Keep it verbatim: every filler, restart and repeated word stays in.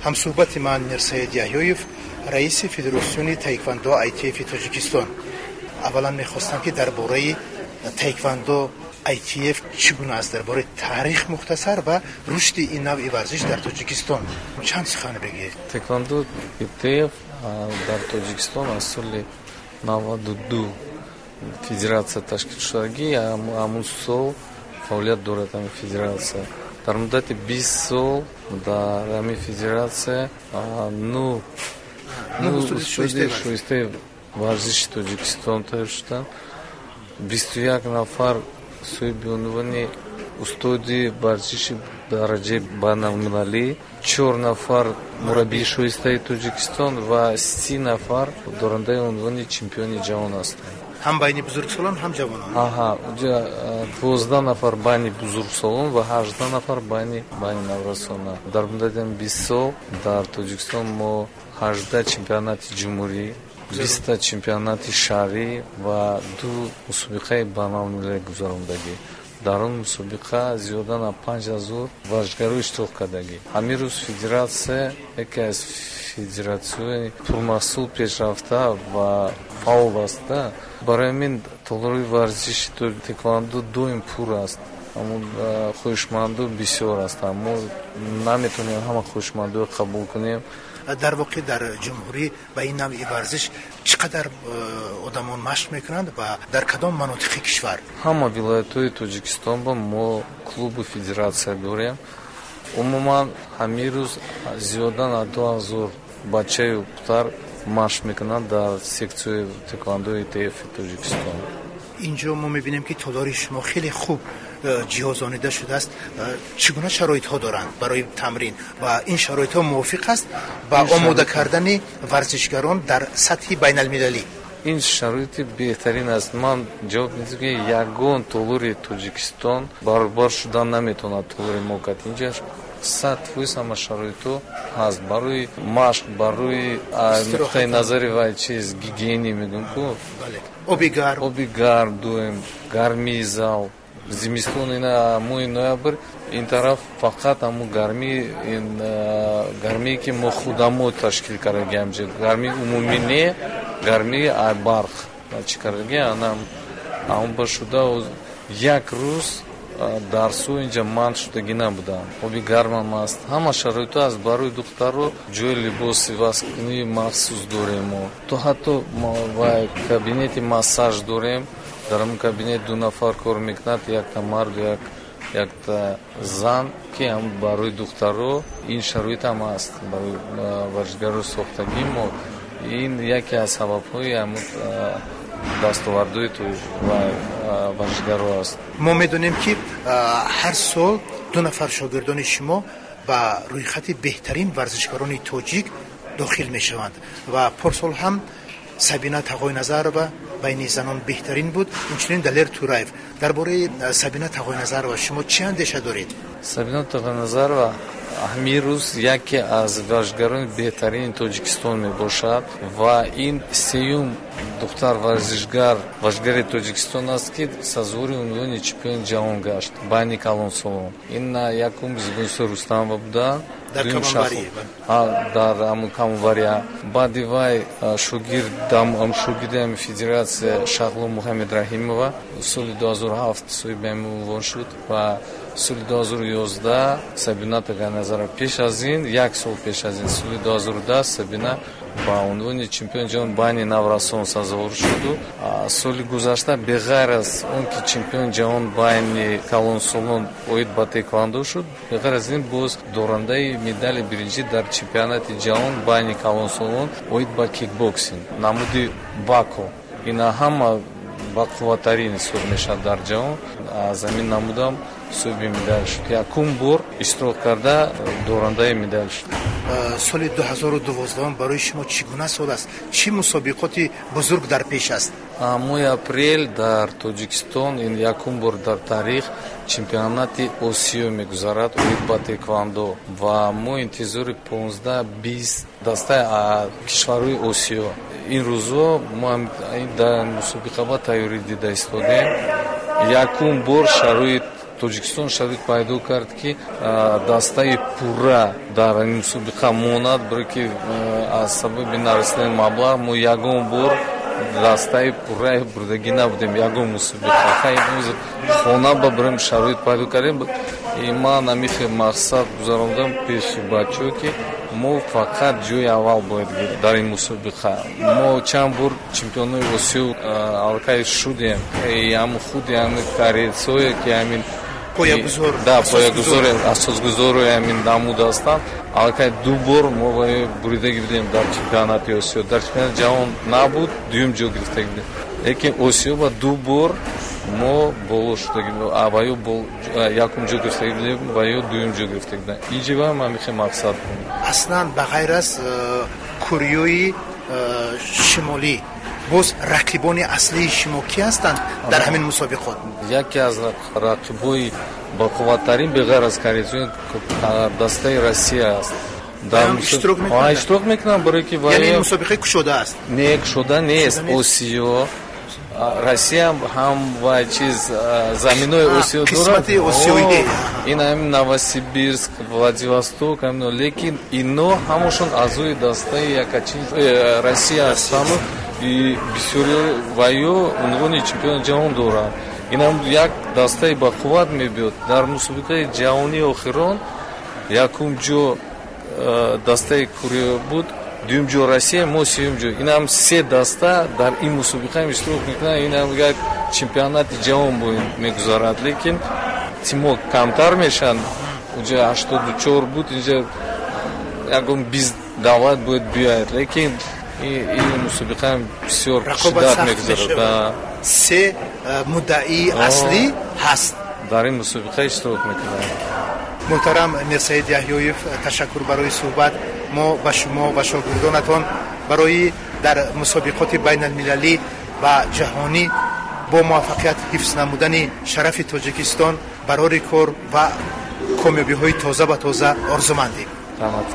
Ҳамсӯҳбати ман Мирсаид Яҳёев, раиси Федератсиони таеквондо I T F Тоҷикистон. Аввалан мехостам, ки дар бораи таеквондо I T F чӣ гуна аст, дар бораи таърих мухтасар ва рушди ин навъи варзиш дар Тоҷикистон чанд сухан бигӯед. Таеквондо I T F дар Тоҷикистон аз соли наваду ду федератсия ташкил шудагӣ, ҳамун сол фаъолият дорад ҳамин федератсия. Дар муддати бист сол дар ҳамин федератсия ну устоди шоистаи варзиши Тоҷикистон тайёр шуданд, бисту як нафар соҳиби унвони устоди варзиши дараҷаи байналмилалӣ, чор нафар мураббии шоистаи Тоҷикистон ва си нафар дорандаи унвони чемпиони ҷаҳон ҳастанд. Ҳам байни бузургсолон, ҳам ҷавонон? Аҳа, дувоздаҳ нафар байни бузургсолон ва ҳаждаҳ нафар байни байни наврасона. Дар муддати бист сол дар Тоҷикистон мо ҳаждаҳ чемпионати ҷумҳурӣ, биста чемпионати шаҳрӣ ва ду мусобиқаи байналмилалӣ гузарондагӣ. Дар он мусобиқа зиёда на панҷ ҳазор варзишгаро иштирок кардагӣ. Ҳамин рӯз федератсия яке аз федератсияҳои пурмаҳсул, пешрафта ва фаъол аст. Барои ҳамин толори варзиши таеквондо доим пур аст. Ҳамун хоҳишманду бисёр ҳастанд, мо наметавонем ҳама хоҳишмандоро қабул кунем. Дар воқеъ, дар ҷумҳурӣ ба ин навъи варзиш чӣ қадар э, одамон машқ мекунанд ва дар кадом манотиқи кишвар? Ҳама вилоятҳои Тоҷикистон ба мо клубу федератсия дорем. Умуман, ҳамин рӯз зиёда на ду ҳазор бачаю духтар машқ мекунанд дар секцияи таеквондои I T F Тоҷикистон. Инҷо мо мебинем, ки толори шумо хеле хуб э, ҷиҳозонида шудааст. э, чӣ гуна шароитҳо доранд барои тамрин ва ин шароитҳо мувофиқ аст ба омода кардани варзишгарон дар сатҳи байналмилалӣ? Ин шароити беҳтарин аст. Ман ҷавоб медиҳам, ки ягон толори Тоҷикистон баробар шудан наметавонад толори мо кад. Инҷа сад фоиз ҳама шароитҳо ҳаст барои машқ, барои нуқтаи назари вай чиз гигиени мегӯм ку. Оби гарм? Оби гарм доим, гармии зал. Зимистон, ина моҳи ноябр, ин тараф фақат ҳамун гармӣ, гармие ки мо худамо ташкил кардагиам, гармии умумӣ не, гармии барқ чӣ кардаги, ана ҳамон ба шуда як рӯз дарсҳо инҷа манъ шудагӣ набуданд. Оби гармам аст, ҳама шароитҳо аст. Барои духтаро ҷои либос ивазкунии махсус дорем мо, то ҳатто кабинети массаж дорем. Дар ҳамон кабинет ду нафар кор мекунад, якта марду як якта зан, ки ҳам барои духтаро ин шароит ҳам аст, барои варзишгаро сохтагӣ мо. Ин яке аз сабабҳои ҳамун дастовардҳои варзишгаро аст. Мо медонем, ки ҳар сол ду нафар шогирдони шумо ба рӯйхати беҳтарин варзишгарони тоҷик дохил мешаванд ва порсол ҳам Сабина Тағойназарова байни занон беҳтарин буд, инчунин Далер Тураев. Дар бораи Сабина Тағойназарова шумо чӣ андеша доред? Сабина Тағойназарова ҳамин рӯз яке аз варзишгарони беҳтарини Тоҷикистон мебошад ва ин сеюм духтар варзишгар варзишгари Тоҷикистон аст, ки сазовори унвони чемпиони ҷаҳон гашт байни калонсолон. Ин якум Зибунисо Рустамова буданд дар ҳамун камовария. Баъди вай шогирдам, шогирди ҳами федератсия Шахло Муҳаммедраҳимова соли дуҳазору ҳафт соҳиби ҳамин унвон шуд ва соли дуҳазору ёздаҳ Сабина Тағойназарова. Пеш аз ин, як сол пеш аз ин, соли дуҳазору даҳ Сабина ба унвони чемпиони ҷаҳон байни наврасон сазовор шуду соли гузашта, беғайр аз он ки чемпиони ҷаҳон байни калонсолон оид ба таеквондо шуд, беғайр аз ин боз дорандаи медали биринҷӣ дар чемпионати ҷаҳон байни калонсолон оид ба кикбоксинг, намуди вако, ина ҳама бақувваттарин ҳисоб мешавад дар ҷаҳон, аз ҳамин намудам соҳиби медал шуд. Якум бор иштирок карда, дорандаи медал шуд. Соли дуҳазору дувоздаҳум барои шумо чӣ гуна сол аст? Чӣ мусобиқоти бузург дар пеш аст? Моҳи апрел дар Тоҷикистон ин якум бор дар таърих чемпионати Осиё мегузарад оид ба таеквондо ва мо интизори понздаҳ бист дастаи кишварҳои Осиё. Ин рӯзҳо мо дар мусобиқа ба тайёрӣ дида истодем. Якум бор шароит Тоҷикистон шароит пайдо кард, ки дастаи пурра дар ин мусобиқа монад, барое ки аз сабаби нарасидани маблағ мо ягон бор дастаи пурраи бурдагӣ набудем ягон мусобиқа. Хона ба барем шароит пайдо кардем. Ман ҳамихе мақсад гузарондам пеши бачаҳо, ки мо фақат ҷои аввал бояд гирем дар ин мусобиқа. Мо чанд бор чемпионои Осиё аллакай шудем. Ҳам худи ҳамин корейцое, ки ҳамин поягузор, асосгузори ҳамин намуд ҳастанд, аллакай ду бор мо буридагӣ будем дар чемпионати Осиё. Дар чемпионати ҷаҳон набуд, дуюм ҷо гирифтагӣ будем, лекин Осиё ба ду бор мо боло шудагӣ, ва ё якум ҷо гирифтагӣ будем, ва ё дуюм ҷо гирифтагӣ будем. Инҷа ҳам ҳамихе мақсад. Аслан, ба ғайр аз Кореяи Шимолӣ, боз рақибони аслии шумо кӣ ҳастанд дар ҳамин мусобиқот? Яке аз рақибои бақувваттарин беғайр аз корейцо дастаи Россия аст. Иштирок мекунанд, барое ки Яъне мусобиқаи кушода аст? Не, кушода нест. Осиё, Россия ҳам ва чиз заминои Осиё дорад, ин ҳамин Новосибирск, Владивосток, лекин ино ҳамашон аъзои дастаи якачин э, Россия ҳастану бисёри ва ё унвони чемпиони ҷаҳон доранд. Инам як дастаи бақувват мебиёд. Дар мусобиқаи ҷаҳонии охирон якум ҷо э, дастаи Корея буд, дуюм ҷо Россия, мо сеюм ҷо. Инам се даста дар ин мусобиқа иштирок мекунанд. Инам як чемпионати ҷаҳон мегузарад, лекин тимо камтар мешаванд. Унҷа ҳаштоду чор буд, инҷа ягон бист давлат бояд биёяд, лекин ин мусобиқа бисёр шиддат мегузарад. Се э, муддаии аслӣ ҳаст. Дар ин мусобиқа иштирок мекунанд. Муҳтарам Мирсаид Яҳёев, ташаккур барои суҳбат. Мо ба шумо ва шогирдонатон барои дар мусобиқоти байналмилалӣ ва ҷаҳонӣ бо муваффақият ҳифз намудани шарафи Тоҷикистон барори кор ва комёбиҳои тоза ба тоза орзумандем. Раҳмат.